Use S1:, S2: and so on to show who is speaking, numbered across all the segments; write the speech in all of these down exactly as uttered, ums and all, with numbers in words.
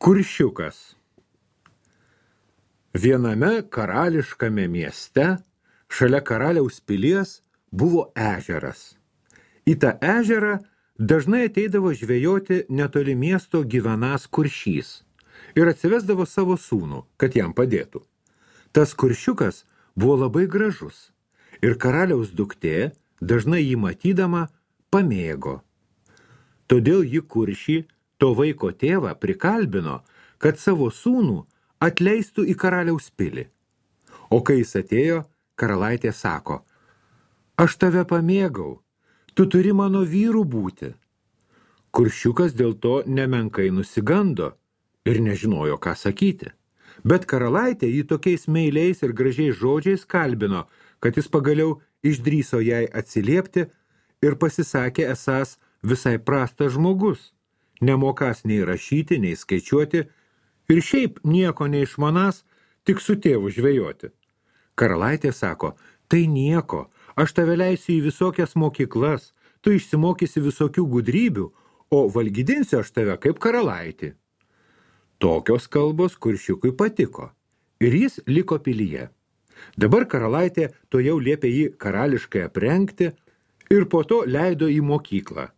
S1: Kuršiukas. Viename karališkame mieste, šalia karaliaus pilies, buvo ežeras. Į tą ežerą dažnai ateidavo žvejoti netoli miesto gyvenas kuršys ir atsivesdavo savo sūnų, kad jam padėtų. Tas kuršiukas buvo labai gražus ir karaliaus duktė, dažnai jį matydama, pamėgo. Todėl ji kuršį, to vaiko tėvą, prikalbino, kad savo sūnų atleistų į karaliaus pilį. O kai jis atėjo, karalaitė sako: aš tave pamėgau, tu turi mano vyru būti. Kuršiukas dėl to nemenkai nusigando ir nežinojo, ką sakyti. Bet karalaitė jį tokiais meiliais ir gražiais žodžiais kalbino, kad jis pagaliau išdrįso jai atsiliepti ir pasisakė esąs visai prastas žmogus, nemokas nei rašyti, nei skaičiuoti ir šiaip nieko neišmanas, tik su tėvu žvejoti. Karalaitė sako: tai nieko, aš tave leisiu į visokias mokyklas, tu išsimokysi visokių gudrybių, o valgydinsiu aš tave kaip karalaitį. Tokios kalbos kuršiukui patiko ir jis liko pilyje. Dabar karalaitė to jau liepė jį karališkai aprengti ir po to leido į mokyklą.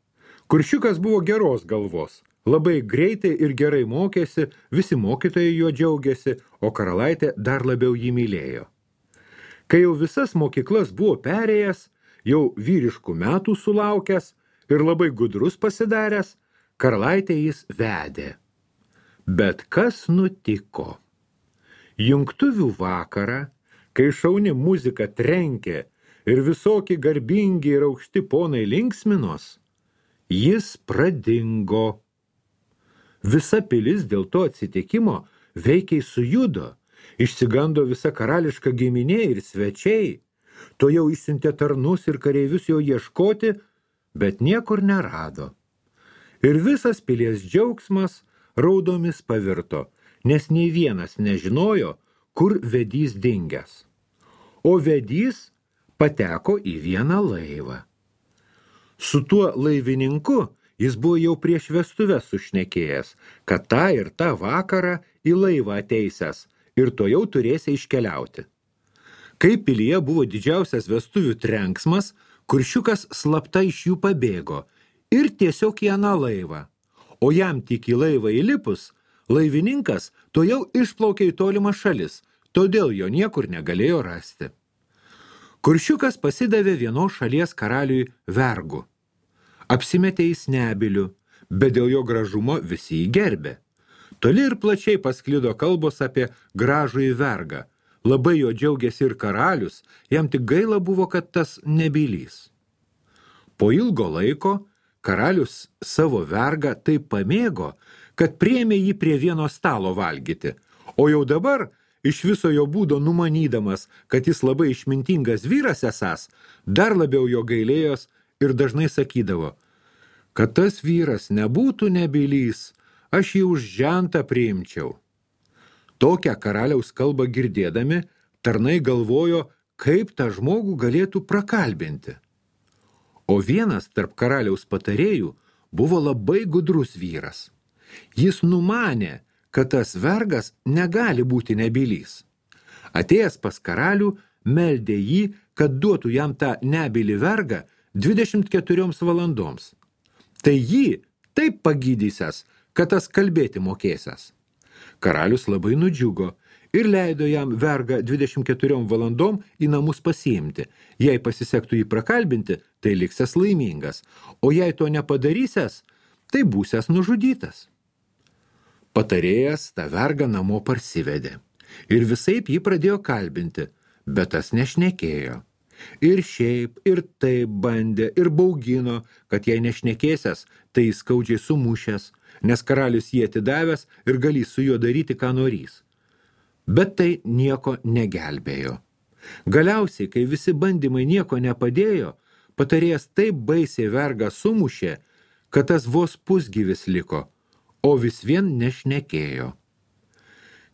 S1: Kuršiukas buvo geros galvos, labai greitai ir gerai mokėsi, visi mokytojai juo džiaugiasi, o karalaitė dar labiau jį mylėjo. Kai jau visas mokyklas buvo perėjęs, jau vyriškų metų sulaukęs ir labai gudrus pasidaręs, karalaitė jis vedė. Bet kas nutiko? Jungtuvių vakarą, kai šauni muzika trenkė ir visokie garbingi ir aukšti ponai linksminos, jis pradingo. Visa pilis dėl to atsitikimo veikiai sujudo, išsigando visa karališka giminė ir svečiai. To jau išsiuntė tarnus ir kareivius jo ieškoti, bet niekur nerado. Ir visas pilies džiaugsmas raudomis pavirto, nes nei vienas nežinojo, kur vedys dingęs. O vedys pateko į vieną laivą. Su tuo laivininku jis buvo jau prieš vestuves sušnekėjęs, kad tą ir tą vakarą į laivą ateisęs ir to jau turėsi iškeliauti. Kai pilyje buvo didžiausias vestuvių trenksmas, kuršiukas slapta iš jų pabėgo ir tiesiog į aną laivą. O jam tik į laivą įlipus, laivininkas to jau išplaukė į tolimą šalis, todėl jo niekur negalėjo rasti. Kuršiukas pasidavė vienos šalies karaliui vergu. Apsimetė į Snebilių, bet dėl jo gražumo visi jį gerbė. Toli ir plačiai pasklido kalbos apie gražųjį vergą. Labai jo džiaugiasi ir karalius, jam tik gaila buvo, kad tas nebylys. Po ilgo laiko karalius savo vergą taip pamėgo, kad priėmė jį prie vieno stalo valgyti, o jau dabar, iš viso jo būdo numanydamas, kad jis labai išmintingas vyras esąs, dar labiau jo gailėjos ir dažnai sakydavo: kad tas vyras nebūtų nebylys, aš jį už žentą priimčiau. Tokią karaliaus kalbą girdėdami, tarnai galvojo, kaip tą žmogų galėtų prakalbinti. O vienas tarp karaliaus patarėjų buvo labai gudrus vyras. Jis numanė, kad tas vergas negali būti nebylys. Atėjęs pas karalių, meldė jį, kad duotų jam tą nebylį vergą dvidešimt keturioms valandoms. Tai jį taip pagydysęs, kad tas kalbėti mokėsias. Karalius labai nudžiugo ir leido jam vergą dvidešimt keturiom valandom į namus pasiimti. Jei pasisektų jį prakalbinti, tai liksęs laimingas, o jei to nepadarysęs, tai būsęs nužudytas. Patarėjas tą vergą namo parsivedė ir visaip jį pradėjo kalbinti, bet tas nešnekėjo. Ir šiaip, ir taip bandė, ir baugino, kad jei nešnekėsias, tai jis skaudžiai sumušęs, nes karalius jį atidavęs ir galės su juo daryti, ką norys. Bet tai nieko negelbėjo. Galiausiai, kai visi bandymai nieko nepadėjo, patarėjas taip baisiai vergą sumušė, kad tas vos pusgyvis liko, o vis vien nešnekėjo.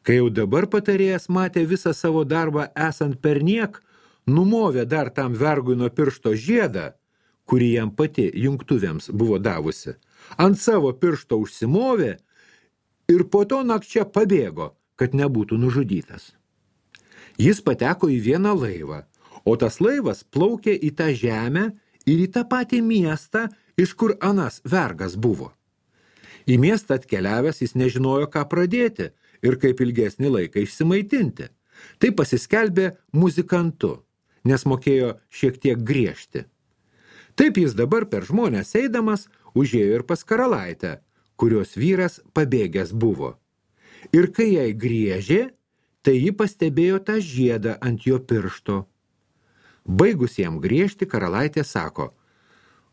S1: Kai jau dabar patarėjas matė visą savo darbą esant perniek, numovė dar tam vergui nuo piršto žiedą, kurį jam pati jungtuvėms buvo davusi, ant savo piršto užsimovė ir po to nakčia pabėgo, kad nebūtų nužudytas. Jis pateko į vieną laivą, o tas laivas plaukė į tą žemę ir į tą patį miestą, iš kur anas vergas buvo. Į miestą atkeliavęs jis nežinojo, ką pradėti ir kaip ilgesnį laiką išsimaitinti. Tai pasiskelbė muzikantu, nes mokėjo šiek tiek griežti. Taip jis dabar per žmonės eidamas užėjo ir pas karalaitę, kurios vyras pabėgęs buvo. Ir kai jai griežė, tai ji pastebėjo tą žiedą ant jo piršto. Baigus jam griežti, karalaitė sako: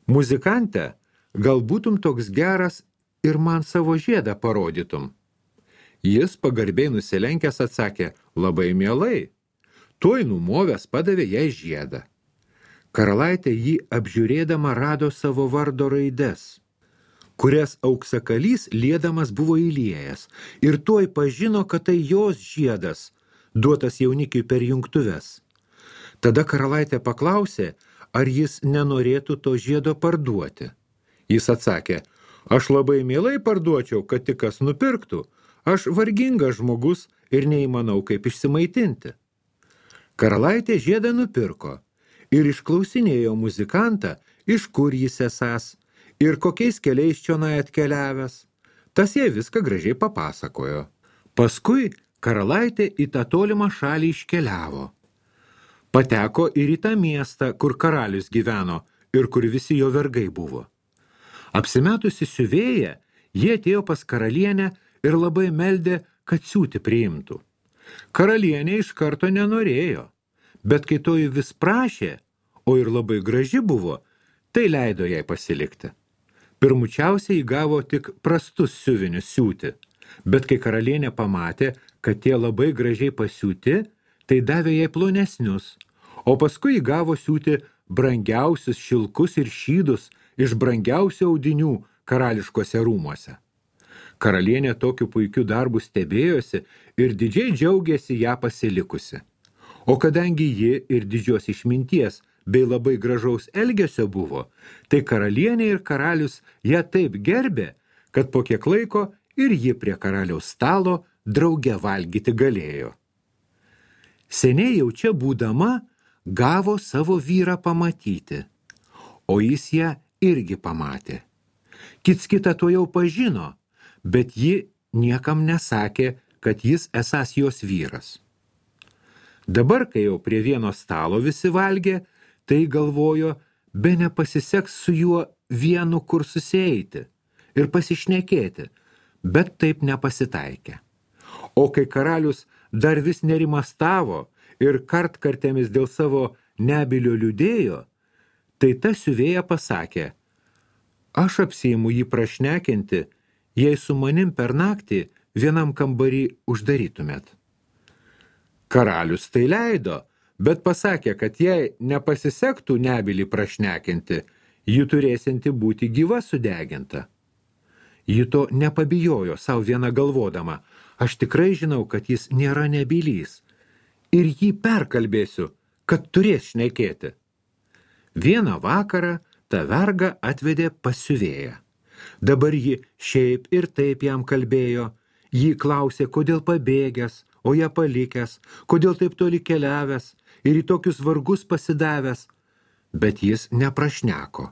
S1: muzikante, gal būtum toks geras ir man savo žiedą parodytum. Jis pagarbiai nusilenkęs atsakė: labai mielai. Tuoj numovęs padavė jai žiedą. Karalaitė jį apžiūrėdama rado savo vardo raides, kurias auksakalys liedamas buvo įliejęs, ir tuoj pažino, kad tai jos žiedas, duotas jaunikiui per jungtuves. Tada karalaitė paklausė, ar jis nenorėtų to žiedo parduoti. Jis atsakė: aš labai mielai parduočiau, kad tik kas nupirktų. Aš vargingas žmogus ir neįmanau kaip išsimaitinti. Karalaitė žiedą nupirko ir išklausinėjo muzikantą, iš kur jis esąs ir kokiais keliais čionai atkeliavęs. Tas jai viską gražiai papasakojo. Paskui karalaitė į tą tolimą šalį iškeliavo. Pateko ir į tą miestą, kur karalius gyveno ir kur visi jo vergai buvo. Apsimetusi siuvėja, jie atėjo pas karalienę ir labai meldė, kad siūti priimtų. Karalienė iš karto nenorėjo, bet kai toji vis prašė, o ir labai graži buvo, tai leido jai pasilikti. Pirmučiausiai įgavo tik prastus siuvinius siūti, bet kai karalienė pamatė, kad tie labai gražiai pasiūti, tai davė jai plonesnius, o paskui įgavo siūti brangiausius šilkus ir šydus iš brangiausių audinių karališkose rūmuose. Karalienė tokiu puikiu darbu stebėjosi ir didžiai džiaugėsi ją pasilikusi. O kadangi ji ir didžios išminties bei labai gražaus elgesio buvo, tai karalienė ir karalius ją taip gerbė, kad po kiek laiko ir ji prie karaliaus stalo drauge valgyti galėjo. Seniai jau čia būdama gavo savo vyrą pamatyti, o jis ją irgi pamatė. Kits kitą to jau pažino, bet ji niekam nesakė, kad jis esąs jos vyras. Dabar, kai jau prie vieno stalo visi valgė, tai galvojo, be nepasiseks su juo vienu kur susieiti ir pasišnekėti, bet taip nepasitaikė. O kai karalius dar vis nerimastavo ir kartkartėmis dėl savo nebylio liūdėjo, tai ta siuvėja pasakė: aš apsiimu jį prašnekinti, jei su manim per naktį vienam kambarį uždarytumėt. Karalius tai leido, bet pasakė, kad jei nepasisektų nebylį prašnekinti, ji turėsinti būti gyva sudeginta. Ji to nepabijojo savo vieną galvodama: aš tikrai žinau, kad jis nėra nebylys ir jį perkalbėsiu, kad turės šnekėti. Vieną vakarą tą vergą atvedė pas siuvėją. Dabar ji šiaip ir taip jam kalbėjo, jį klausė, kodėl pabėgęs, o ją palikęs, kodėl taip toli keliavęs ir į tokius vargus pasidavęs, bet jis neprašneko.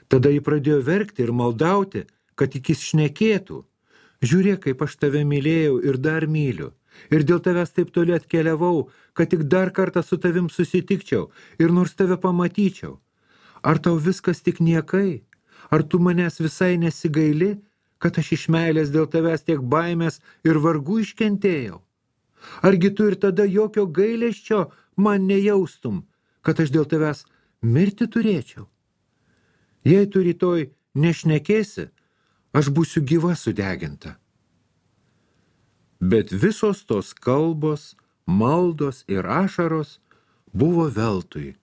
S1: Tada ji pradėjo verkti ir maldauti, kad tik jis šnekėtų. Žiūrėk, kaip aš tave mylėjau ir dar myliu, ir dėl tavęs taip toli atkeliavau, kad tik dar kartą su tavim susitikčiau ir nors tave pamatyčiau. Ar tau viskas tik niekai? Ar tu manęs visai nesigaili, kad aš iš meilės dėl tavęs tiek baimės ir vargų iškentėjau? Argi tu ir tada jokio gailesčio man nejaustum, kad aš dėl tavęs mirti turėčiau? Jei tu rytoj nešnekėsi, aš būsiu gyva sudeginta. Bet visos tos kalbos, maldos ir ašaros buvo veltui.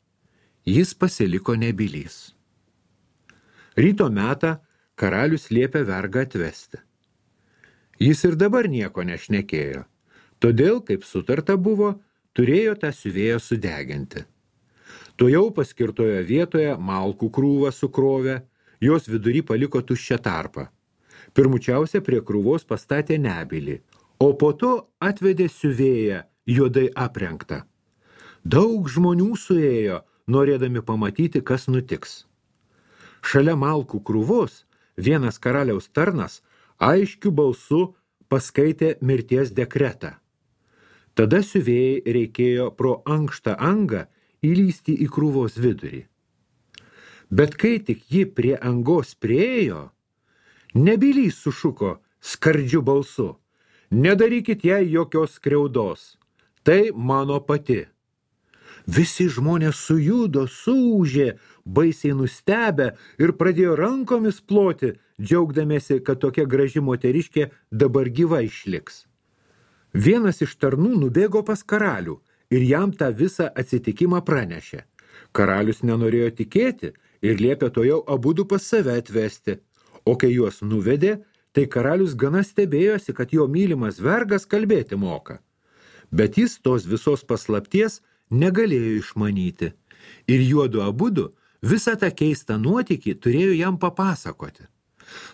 S1: Jis pasiliko nebylys. Ryto metą karalius liepė vergą atvesti. Jis ir dabar nieko nešnekėjo, todėl, kaip sutarta buvo, turėjo tą siuvėją sudeginti. Tuojau paskirtoje vietoje malkų krūvą sukrovė, jos vidury paliko tuščią tarpą. Pirmučiausia prie krūvos pastatė nebylį, o po to atvedė siuvėją juodai aprengtą. Daug žmonių suėjo, norėdami pamatyti, kas nutiks. Šalia malkų krūvos vienas karaliaus tarnas aiškiu balsu paskaitė mirties dekretą. Tada siuvėjai reikėjo pro ankštą angą įlysti į krūvos vidurį. Bet kai tik ji prie angos priejo, nebylys sušuko skardžiu balsu: nedarykit jai jokios skriaudos, tai mano pati. Visi žmonės sujudo, suūžė, baisiai nustebę ir pradėjo rankomis ploti, džiaugdamėsi, kad tokia graži moteriškė dabar gyva išliks. Vienas iš tarnų nubėgo pas karalių ir jam tą visą atsitikimą pranešė. Karalius nenorėjo tikėti ir liepė tojau abudu pas save atvesti, o kai juos nuvedė, tai karalius gana stebėjosi, kad jo mylimas vergas kalbėti moka. Bet jis tos visos paslapties negalėjo išmanyti ir juodu abudu visą tą keistą nuotykį turėjo jam papasakoti.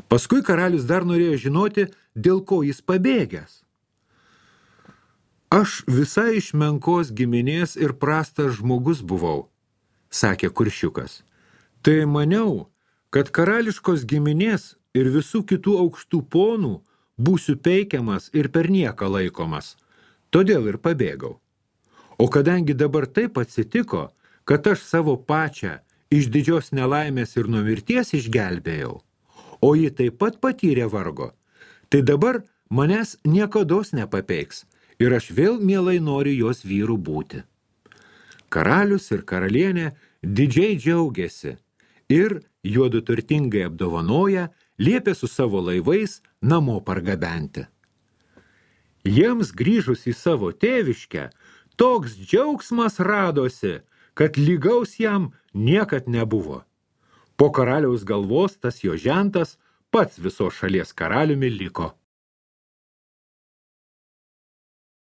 S1: Paskui karalius dar norėjo žinoti, dėl ko jis pabėgęs. Aš visai iš menkos giminės ir prastas žmogus buvau, sakė Kuršiukas. Tai maniau, kad karališkos giminės ir visų kitų aukštų ponų būsiu peikiamas ir per nieką laikomas, todėl ir pabėgau. O kadangi dabar taip atsitiko, kad aš savo pačią iš didžios nelaimės ir nuo mirties išgelbėjau, o ji taip pat patyrė vargo, tai dabar manęs niekados nepapeiks ir aš vėl mielai noriu jos vyrų būti. Karalius ir karalienė didžiai džiaugiasi ir juodu turtingai apdovanoja, liepė su savo laivais namo pargabenti. Jiems grįžus į savo tėviškę, toks džiaugsmas radosi, kad lygaus jam niekad nebuvo. Po karaliaus galvos tas jo žentas pats visos šalies karaliumi liko.